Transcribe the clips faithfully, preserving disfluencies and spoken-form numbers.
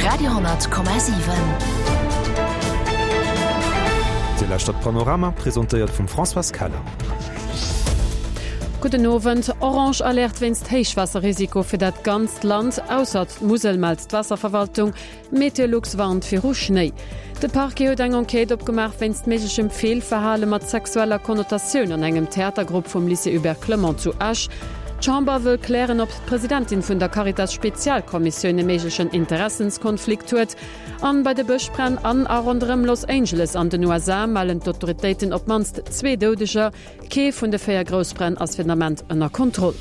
Radio honnert Komma siwen. Dir lauschtert Panorama, presentéiert vum Françoise Keller. Gudden Owend. Orange Alerte wéinst Héichwaasserrisiko fir dat ganzt Land, ausser d'Musel, mellt d'Waasserverwaltung. Meteolux warnt viru Schnéi. De Parquet huet eng Enquête opgemaach wéinst méiglechem Feelverhale mat sexueller Konnotatioun an engem Theatergrupp vum Lycée Hubert Clement zu Esch. D'Chamber wëll klären, ob d'Presidentin vun der Caritas-Spezialkommissioun e méiglechen Interessenskonflikt huet. An bei de Bëschbränn an a ronderëm Los Angeles an den U S A mellen d'Autoritéiten op d'mannst zwee Doudeger. Kee vun de véier Groussbränn ass fir den Ament ënner Kontroll.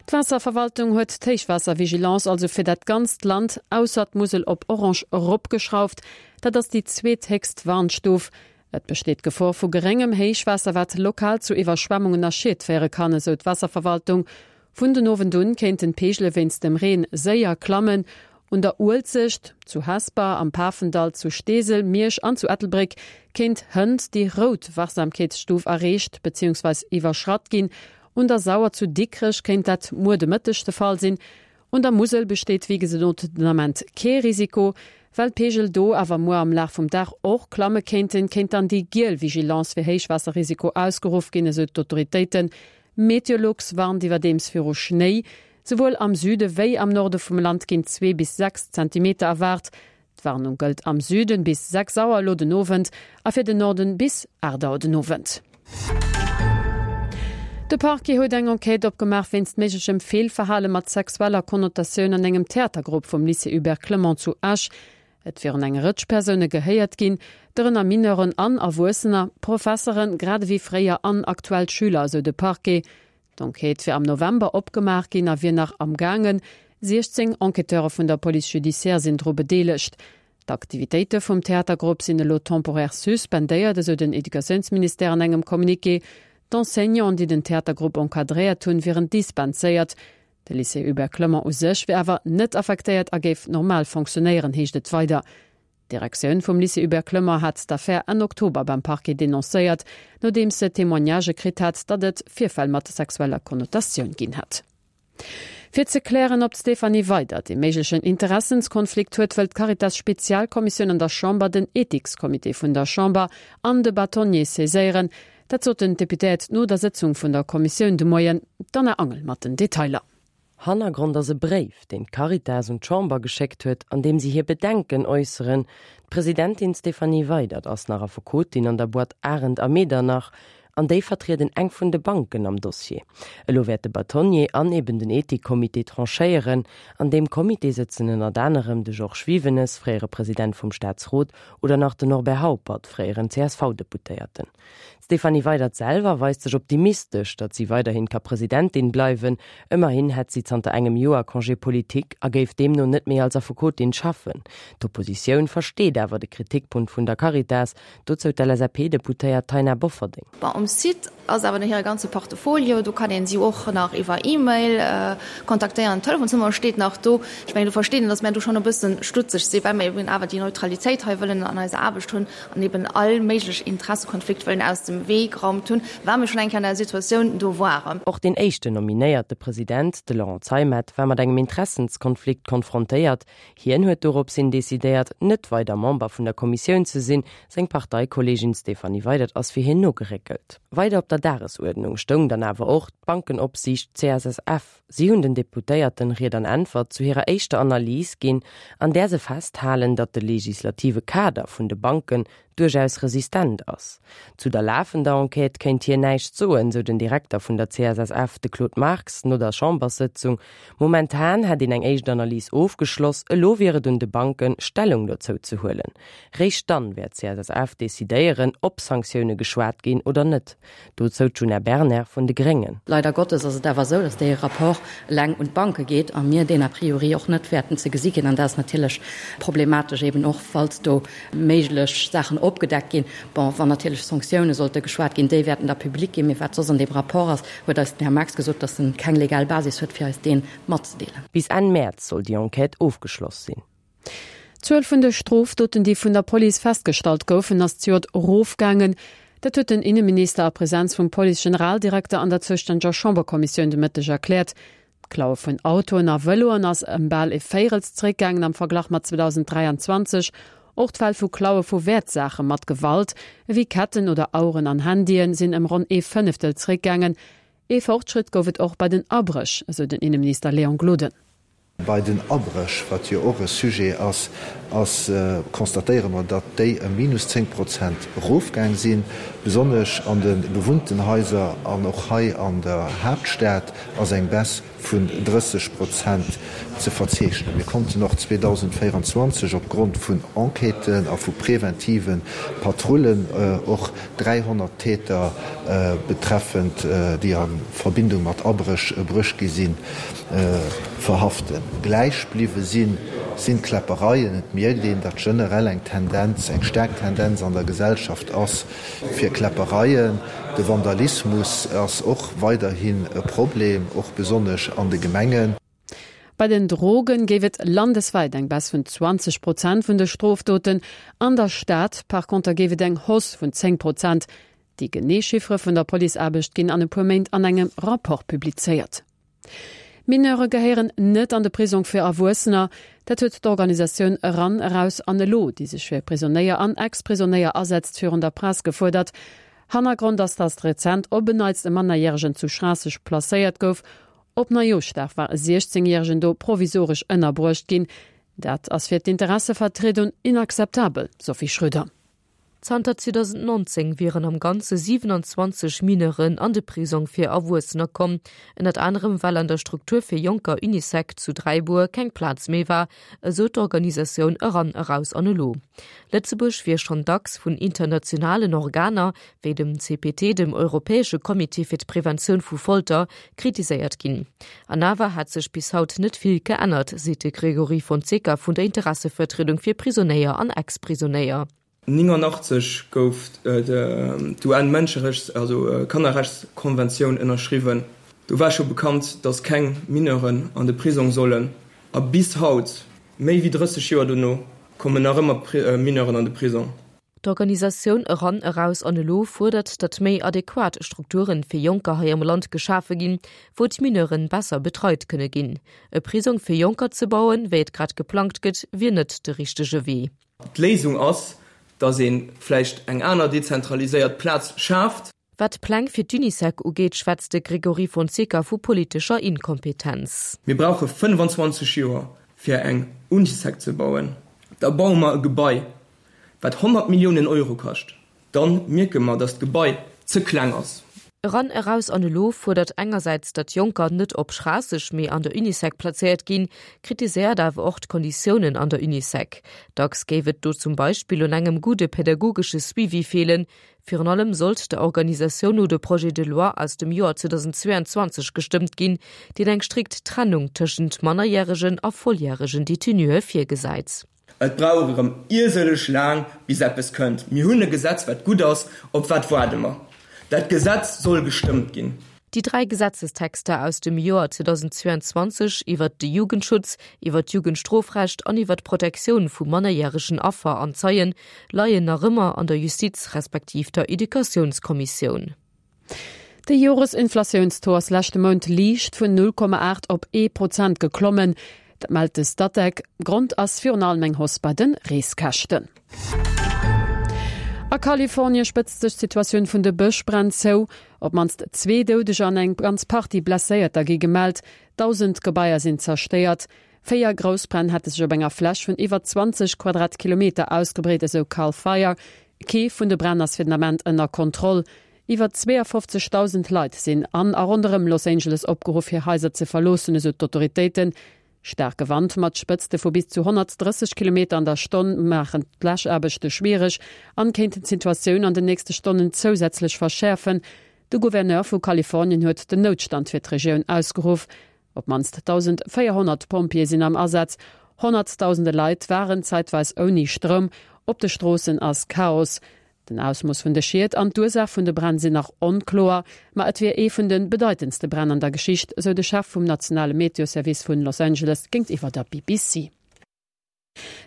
D'Waasserverwaltung huet d'Héichwaasservigilance also fir dat ganzt Land ausser d'Musel op Orange eropgeschrauft. Dat ass déi zweethéchst Warnstuf. Et besteet d'Gefor vu geréngem Héichwaasser, wat lokal zu Iwwerschwemmungen a Schied féiere kann, esou d'Waasserverwaltung. Vun den Owend un kéinten d'Peegele wéinst dem Reen séier klammen. Un der Uelzecht, zu Hesper, am Pafendall, zu Steesel, Miersch an zu Ettelbréck kéint hënt déi rout Wachsamkeetsstuf erreecht beziehungsweis iwwerschratt ginn. Un der Sauer zu Dikrech kéint dat muer de Mëtteg de Fall sinn. Un der Musel besteet wéi gesot den Ament kee Risiko. Well d'Peegel do awer muer am Laf vum Dag och klamme kéinten, kéint dann déi giel Vigilance fir Héichwaasserrisiko ausgeruff ginn, esou d'Autoritéiten. Meteolux warnt iwwerdeems viru Schnéi. Souwuel am Süde wéi am Norde vum Land ginn zwee bis sechs Zentimeter erwaart. D'Warnung gëllt am Süden bis sechs Auer elo den Owend a fir den Norden bis aacht Auer den Owend. De Parquet huet eng Enquête opgemaach wéinst méiglechem Feelverhale mat sexueller Konnotatioun an engem Theatergrupp vum Lycée Hubert Clement zu Esch. Et wieren eng Rëtsch Persoune gehéiert ginn, dorënner Mineuren an Erwuessener, Professeren, grad ewéi fréier an aktuell Schüler, esou de Parquet. D'Enquête wier am November opgemaach ginn a wier nach am Gaangen. siechzéng Enquêteure vun der Police judiciaire sinn dru bedeelegt. D'Aktivitéite vum Theatergrupp sinn elo temporär suspendéiert, esou den Educatiounsministère an engem Communiqué. D'Enseignanten, déi den Theatergrupp encadréiert hunn, wieren dispenséiert. De Lycée Hubert Clement u sech wier awer net affektéiert a géif normal fonctionnéieren, heescht et weider. D'Direktioun vum Lycée Hubert Clement hat d'Affär Enn Oktober beim Parquet denoncéiert, nodeems se Témoignagë kritt hat, datt et Virfäll mat sexueller Konnotatioun ginn hätt. Fir ze klären, ob d'Stéphanie Weydert e méiglechen Interessenskonflikt huet, wëll d'Caritas-Spezialkommissioun an der Chamber den Ethikscomité vun der Chamber an de Bâtonnier saiséieren. Dat soten d'Deputéiert no der Sëtzung vun der Kommissioun de Moien. D'Anna Angel mat den Detailer. Hannergrond ass e Bréif, deen d'Caritas un d'Chamber geschéckt huet, an deem si hir Bedenken äusseren. D'Presidentin Stéphanie Weydert ass nach Affekotin an der Boîte Arendt a Medernach, an déi vertrieden eng vun de Banken am Dossier. Elo wäert de Bâtonnier an eben den Ethikcomité tranchéieren. An deem Comité sëtzen ënnert anerem de Georges Wivenes, fréiere President vum Staatsrot, oder nach den Norbert Haupert, fréieren C S V-Deputéierten. D'Stéphanie Weydert selwer weist sech optimistesch, datt si weiderhin ka Presidentin bleiwen. Ëmmerhin hätt si zanter engem Joer Congé politique a géif deemno net méi als Affekotin schaffen. D'Oppositioun versteet awer de Kritikpunkt vun der Caritas, dozou d'L S A P-Deputéiert Taina Bofferding. Bon, um Site ass awer hire ganze Portfolio, do kann een si och nach iwwer E-Mail, äh, kontaktéieren. D'Telefonsnummer steet nach do. Ech mengen, du verstehen, dass mir do schon e bëssen stutzeg sinn, well mir eben awer déi Neutralitéit hei wëllen an eiser Aarbecht hunn an eben all méiglech Interessekonflikt wëllen aus dem Wee geraumt hunn, well mir schon eng Kéier an der Situatioun do waren. Och den éischten nominéierte President, de Laurent Zeimet, war mat engem Interessenskonflikt konfrontéiert. Hien huet doropshin decidéiert, net weider Member vun der Kommissioun ze sinn. Seng Parteikollegin Stéphanie Weydert ass fir hien nogeréckelt. Weider op der Dagesuerdnung stoung dann awer och d'Bankenopsiicht C S S F. Si hunn den Deputéierten Ried an Äntwert zu hirer éischter Analys ginn, an där se festhalen, datt de legislative Kader vun de Banken duerchaus resistent ass. Zu der lafender Enquête kéint hien näischt soen, sou den Direkter vun der C S S F, de Claude Marx, no der Chamberssëtzung. Momentan hätt een eng éischt Analys ofgeschloss, elo wier et un de Banken, Stellung dozou ze huelen. Réischt dann wäert C S S F decidéieren, ob Sanktioune geschwat ginn oder net. Dozou d'Djuna Bernard vun de Gréngen. Leider Gottes ass et awer sou, datt dee Rapport eleng un d'Banke geet a mir deen a priori och net wäerten ze gesi ginn. An dat ass natierlech problematesch eben och, falls do méiglech Saachen opgedeckt ginn. Bon, wann natierlech Sanktioune sollte geschwat ginn, déi wäerten da publik ginn. Mee wat soss an dem Rapport ass, huet eis den Herr Marx gesot, datt en keng legal Basis huet, fir eis deen matzedeelen. Bis Enn März soll déi Enquête ofgeschloss sinn. D'Zuel vun de Strofdoten, déi vun der Police festgestallt goufen, ass zejoert erofgaangen. Dat huet den Inneminister a Presenz vum Police-Generaldirekter an der zoustännege Chamberkommissioun de Mëtteg erkläert. D'Klaue vun Autoen a Vëloen ass ëm bal e Véirels zeréckgaangen am Verglach mat zweedausenddräianzwanzeg. Och d'Fäll vu Klaue vu Wäertsaache mat Gewalt, ewéi Ketten oder Aueren an Handyen, sinn ëm ronn ee Fënneftel zeréckgaangen. Ee Fortschrëtt gouf et och bei den Abréch, esou den Inneminister Léon Gloden. Bei den Abréch, wat jo och e Sujet ass, ass constatéiere mer, datt déi ëm minus zéng Prozent erofgaang sinn. Besonnesch an de bewunnten Haiser an och hei an der Haaptstad ass eng Baisse vun drësseg Prozent ze verzeechnen. Mir konnten och zweedausendvéieranzwanzeg opgrond vun Enquêten a vu preventive Patrullen och dräihonnert Täter betreffend, déi a Verbindung mat Abréch bruecht gi sinn, verhaften. Gläich bliwwe sinn, sinn d'Kläppereien. Et mierkt een, datt generell eng Tendenz, eng staark Tendenz an der Gesellschaft ass fir Kläppereien. De Vandalismus ass och weiderhin e Problem, och besonnesch an de Gemengen. Bei den Drogen géif et landeswäit eng Baisse vun zwanzeg Prozent vun de Strofdoten, an der Stad par conter géif et eng Hausse vun zéng Prozent. Déi genee Chiffere vun der Policeaarbecht ginn an e puer Méint an engem Rapport publizéiert. Mineure gehéieren net an de Prisong fir Erwuessener. Dat huet d'Organisatioun Eran, Eraus an Elo, déi sech fir Prisonéier an Ex-Prisonéier asetzt, virun der Press gefuerdert. Hannergrond ass, datt rezent op en Neits e Mannerjäregen zu Schraasseg placéiert gouf. Op Neijooschdag war e siechzéngjäregen do provisoresch ënnerbruecht ginn. Dat ass fir d'Interessevertriedung inakzeptabel, Sophie Schröder. Zanter zweedausendnonzéng wieren am Ganze siwenanzwanzeg Mineuren an de Prisong fir Erwuessener komm, ënnert anerem well an der Struktur fir Jonker Unisec zu Dräibuer keng Plaz méi war, esou d'Organisatioun Eran, Eraus an Elo. Lëtzebuerg wier schonn dacks vun internationalen Organer, wéi dem C P T, dem europäesche Comité fir d'Preventioun vu Folter, kritiséiert ginn. An awer hätt sech bis haut net vill geännert, seet de Gregory Fonseca vun der Interessevertriedung fir Prisonéier an Ex-Prisonéier. Néngannachtzeg gouf d'U N-Mënscherechts-, also Kannerrechtskonventioun ënnerschriwwen. Do war scho bekannt, datt keng Mineuren an de Prisong sollen. A bis haut, méi wéi drësseg Joer dono, kommen nach ëmmer Mineuren an de Prisong. D'Organisatioun Eran, Eraus an Elo fuerdert, datt méi adequat Strukturen fir Jonker hei am Land geschafe ginn, wou d'Mineuren besser betreit kënne ginn. E Prisong fir Jonker ze bauen, wéi et grad geplangt gëtt, wier net de richtege Wee. D'Léisung ass, datt ee vläicht eng aner dezentraliséiert Plaz schaaft. Wat d'Pläng fir d'Unisec ugeet, schwätzt de Gregory Fonseca vu politescher Inkompetenz. Mir brauche fënnfanzwanzeg Joer, fir eng Unisec ze bauen. Da baue mer e Gebai, wat honnert Milliounen Euro kascht. Da mierke mer, datt d'Gebai ze kleng ass. Eran, Eraus an Elo fuerdert engersäits, datt Jonker net op Schraasseg, mee an der Unisec plazéiert ginn, kritiséiert awer och d'Konditiounen an der Unisec. Dacks géif et do zum Beispill un engem gudde pädagogesche Suivi feelen. Virun allem sollt der Organisatioun no de Projet de loi aus dem Joer zweedausendzweeanzwanzeg gestëmmt ginn, deen eng strikt Trennung tëschent mannerjäregen a volljäregen Detenuë virgesäit. Et brauch erëm iersëlleg laang, bis eppes kënnt. Mir hunn e Gesetz, wat gutt ass. Op wat waarde mer? Dat Gesetz soll gestëmmt ginn. Déi dräi Gesetzestexter aus dem Joer zweedausendzweeanzwanzeg iwwert de Jugendschutz, iwwert d'Jugendstrofrecht an iwwert d'Protektioun vu mannerjäregen Affer an Zeien, leien nach ëmmer an der Justiz respektiv der Educatiounskommissioun. De Joresinflatiounstaux ass leschte Mount liicht vun null Komma aacht op ee Prozent geklommen. Dat mellt de Statec. Grond ass virun allem eng Hausse bei de Reeskäschten. A Kalifornie spëtzt sech d'Situatioun vun de Bëschbränn zou. Op d'mannst zwee Doudeger an eng ganz Partie Blesséierter gi gemellt. Dausend Gebaier sinn zerstéiert. Véier Groussbränn hätte sech op enger Fläch vun iwwer zwanzeg Quadratkilometer ausgebreet, esou Cal Fire. Kee vun de Bränn ass fir den Ament ënner Kontroll. Iwwer zweeafofzegdausend Leit sinn an a ronderëm Los Angeles opgeruff, hir Haiser ze verloossen, esou d'Autoritéiten. Staarke Wand mat Spëtzte vu bis zu honnertdrësseg Kilometer an der Stonn maachen d'Läschaarbechte schwiereg an kéinten d'Situatioun an den nächste Stonnen zousätzlech verschäerfen. De Gouverneur vu Kalifornien huet den Noutstand fir d'Regioun ausgeruff. Op d'mannst dausendvéierhonnert Pompjeeë sinn am Asaz. Honnertdausende Leit waren zäitweis ouni Stroum. Op de Stroossen ass Chaos. Den Ausmooss vun de Schied an d'Ursaach vun de Bränn sinn nach onkloer, ma et wier ee vun de bedeitendste Bränn an der Geschicht, sou de Chef vum nationale Meteoservice vun Los Angeles géintiwwer der B B C.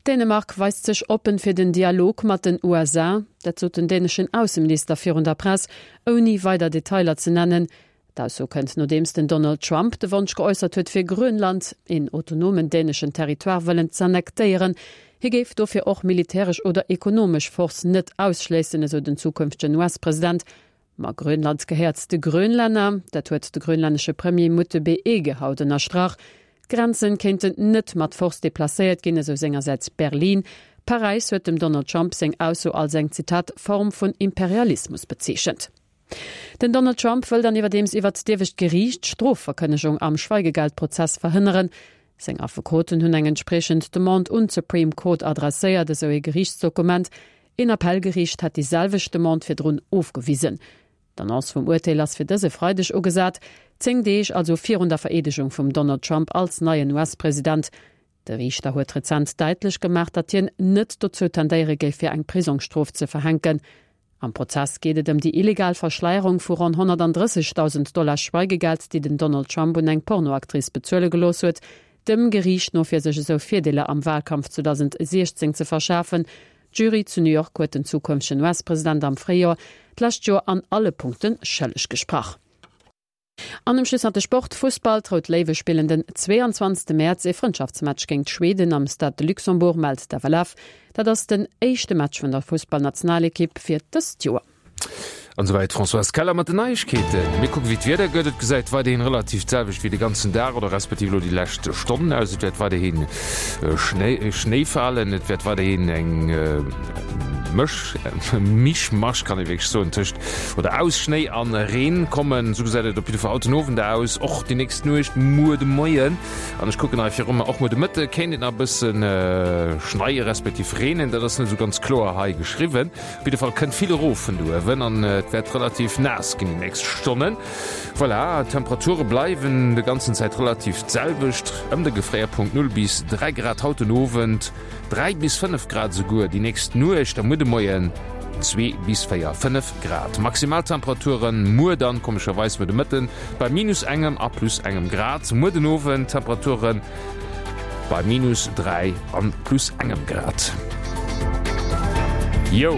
Dänemark weist sech oppen fir den Dialog mat den U S A, dat sot den däneschen Ausseminister virun der Press, ouni weider Detailer ze nennen. D'Ausso kënnt nodeems den Donald Trump de Wonsch geäussert huet fir Grönland, een autonomen däneschen Territoire, wëllen z'annektéieren. Hie géif dofir och militäresch oder ekonomesch Force net ausschléissen, esou den zukünftegen US-President. Ma Grönland gehéiert de Grönlänner, dat huet de grönlännesche Premier Múte B. Egge haut ënnerstrach. D'Grenzen kéinten net mat Force deplacéiert ginn, esou sengersäits Berlin. Paräis huet dem Donald Trump seng Ausso als eng, Zitat, Form vun Imperialismus bezeechent. Den Donald Trump wëll dann iwwerdeems iwwert d'iewescht Geriicht d'Strofverkënnegung am Schweigegeldprozess verhënneren. Seng Affekoten hunn eng entspriechend Demande un d'Supreme Court adresséiert, esou ee Geriichtsdokument. Een Appellgeriicht hat déi selwecht Demande virdrun ofgewisen. D'Annonce vum Urteel ass fir dëse Freideg ugesat, zéng Deeg also virun der Vereedegung vum Donald Trump als neien US-President. De Riichter huet rezent däitlech gemaach, datt hien net dozou tendéiere géif fir eng Prisongsstrof ze verhänken. Am Prozess geet et ëm déi illegal Verschleierung vu ronn honnertdrëssegdausend Dollar Schweigegeld, déi den Donald Trump un eng Pornoactrice bezuele gelooss huet, dem Geriicht no fir sech esou Virdeeler am Walkampf zweedausendsiechzéng ze verschafen. D'Jury zu New York huet den zukünftegen US-President am Fréijoer d'lescht Joer an alle Punkte schëlleg gesprach. An um Schluss nach de Sport, Fussball, D'Rout Léiwe spillen den zweeanzwanzegste Mäerz ee Frëndschaftsmatch géint Schweden am Stade de Luxembourg, mellt d'FLF. Dat ass den éischte Match vun der Fussballnationalekipp fir dëst Joer. An esouwäit d'Françoise Keller mat den Neiegkeeten. Mir kucken, wéi d'Wieder gëtt. Et gesäit weiderhin relativ d'selwecht wéi de ganzen Dag oder respektiv elo déi lescht Stonnen aus. Et wäert weiderhin Schnéi, Schnéi falen, et wäert weiderhin eng Mësch, Mischmasch kann ee wierklech soen, tëscht oder aus Schnéi an Reen kommen. Esou gesäit et op jidde Fall haut den Owend aus, och déi nächst Nuecht, muer de Moien. An ech kucken hei viru mer, och muer de Mëtte kéint et nach e bëssen schneie respektiv reenen, dat ass net esou ganz kloer hei geschriwwen. Op jidde Fall kënnt vill erof vun do uewen an et wäert relativ naass ginn déi nächst Stonnen. Voilà, d'Temperature bleiwen de ganzen Zäit relativ d'selwecht, ëm de Gefréierpunkt null bis dräi Grad haut den Owend, dräi bis fënnef Grad esouguer déi nächst Nuecht a muer de Moien zwee bis véier, fënnef Grad. Maximaltemperaturen muer dann komescherweis muer de Mëtten bei minus engem a plus engem Grad, muer den Owend Temperaturen bei minus dräi an plus engem Grad. Jou,